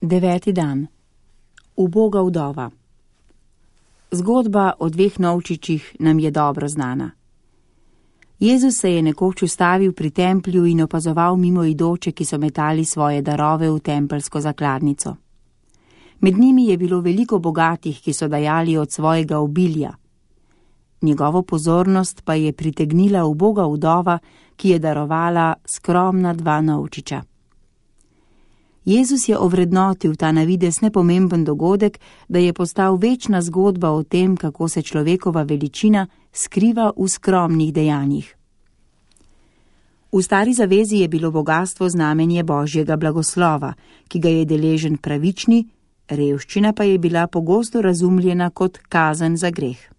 9. dan. Uboga vdova. Zgodba o dveh novčičih nam je dobro znana. Jezus se je nekoč ustavil pri templju in opazoval mimoidoče, ki so metali svoje darove v tempeljsko zakladnico. Med njimi je bilo veliko bogatih, ki so dajali od svojega obilja. Njegovo pozornost pa je pritegnila uboga vdova, ki je darovala skromna 2 novčiča. Jezus je ovrednotil ta na videz nepomemben dogodek, da je postal večna zgodba o tem, kako se človekova veličina skriva v skromnih dejanjih. V Stari zavezi je bilo bogastvo znamenje Božjega blagoslova, ki ga je deležen pravični, revščina pa je bila pogosto razumljena kot kazen za greh.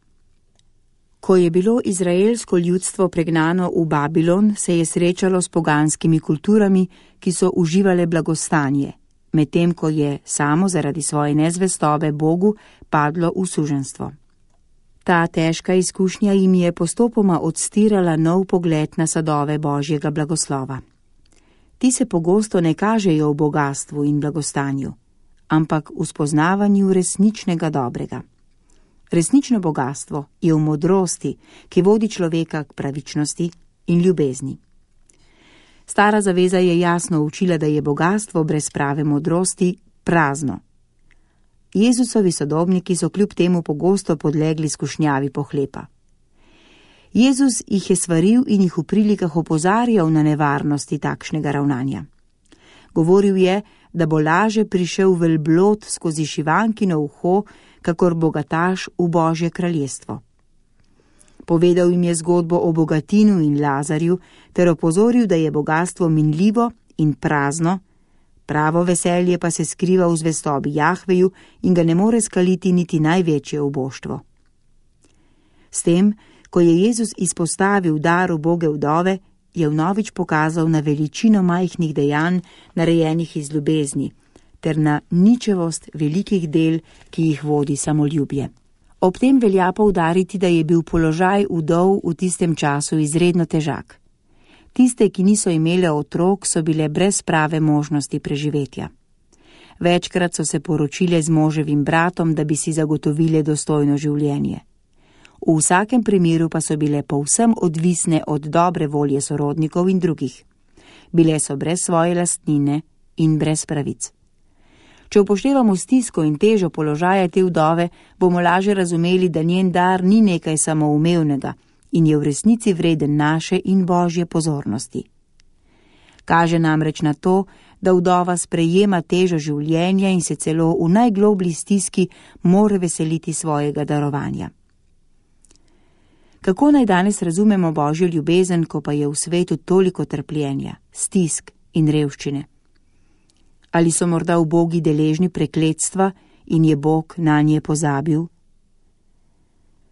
Ko je bilo izraelsko ljudstvo pregnano v Babilon, se je srečalo s poganskimi kulturami, ki so uživale blagostanje, medtem ko je samo zaradi svoje nezvestobe Bogu padlo v suženjstvo. Ta težka izkušnja jim je postopoma odstirala nov pogled na sadove Božjega blagoslova. Ti se pogosto ne kažejo v bogatstvu in blagostanju, ampak v spoznavanju resničnega dobrega. Resnično bogatstvo je v modrosti, ki vodi človeka k pravičnosti in ljubezni. Stara zaveza je jasno učila, da je bogatstvo brez prave modrosti prazno. Jezusovi sodobniki so kljub temu pogosto podlegli skušnjavi pohlepa. Jezus jih je svaril in jih v prilikah opozarjal na nevarnosti takšnega ravnanja. Govoril je, da bo laže prišel velblod skozi šivankino uho, kakor bogataš v Božje kraljestvo. Povedal jim je zgodbo o bogatinu in Lazarju ter opozoril, da je bogatstvo minljivo in prazno, pravo veselje pa se skriva v zvestobi Jahveju in ga ne more skaliti niti največje uboštvo. S tem, ko je Jezus izpostavil dar uboge vdove, je vnovič pokazal na veličino majhnih dejanj, narejenih iz ljubezni, ter na ničevost velikih del, ki jih vodi samoljubje. Ob tem velja poudariti, da je bil položaj vdov v tistem času izredno težak. Tiste, ki niso imele otrok, so bile brez prave možnosti preživetja. Večkrat so se poročile z moževim bratom, da bi si zagotovile dostojno življenje. V vsakem primeru pa so bile povsem odvisne od dobre volje sorodnikov in drugih. Bile so brez svoje lastnine in brez pravic. Če upoštevamo stisko in težo položaja te vdove, bomo lažje razumeli, da njen dar ni nekaj samoumevnega in je v resnici vreden naše in Božje pozornosti. Kaže namreč na to, da vdova sprejema težo življenja in se celo v najgloblji stiski more veseliti svojega darovanja. Kako naj danes razumemo Božjo ljubezen, ko pa je v svetu toliko trpljenja, stisk in revščine? Ali so morda ubogi deležni prekletstva in je Bog nanje pozabil?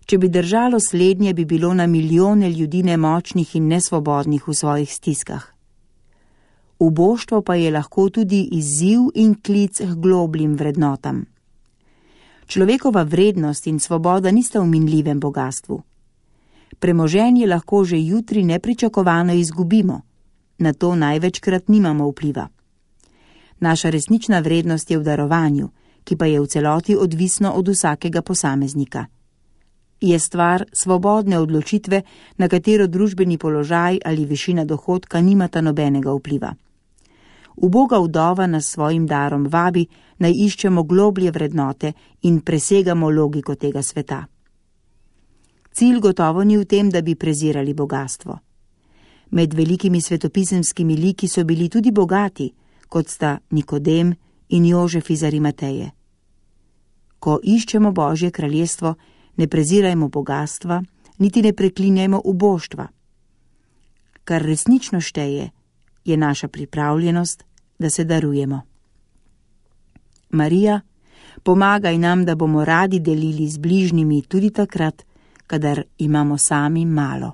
Če bi držalo slednje, bi bilo na milijone ljudi nemočnih in nesvobodnih v svojih stiskah. Uboštvo pa je lahko tudi izziv in klic k globljim vrednotam. Človekova vrednost in svoboda nista v minljivem bogatstvu. Premoženje lahko že jutri nepričakovano izgubimo, na to največkrat nimamo vpliva. Naša resnična vrednost je v darovanju, ki pa je v celoti odvisno od vsakega posameznika. Je stvar svobodne odločitve, na katero družbeni položaj ali višina dohodka nimata nobenega vpliva. Uboga vdova nas svojim darom vabi, naj iščemo globlje vrednote in presegamo logiko tega sveta. Cilj gotovo ni v tem, da bi prezirali bogatstvo. Med velikimi svetopisemskimi liki so bili tudi bogati, kot sta Nikodem in Jožef iz Arimateje. Ko iščemo Božje kraljestvo, ne prezirajmo bogatstva, niti ne preklinjajmo uboštva. Kar resnično šteje, je naša pripravljenost, da se darujemo. Marija, pomagaj nam, da bomo radi delili z bližnjimi tudi takrat, kadar imamo sami malo.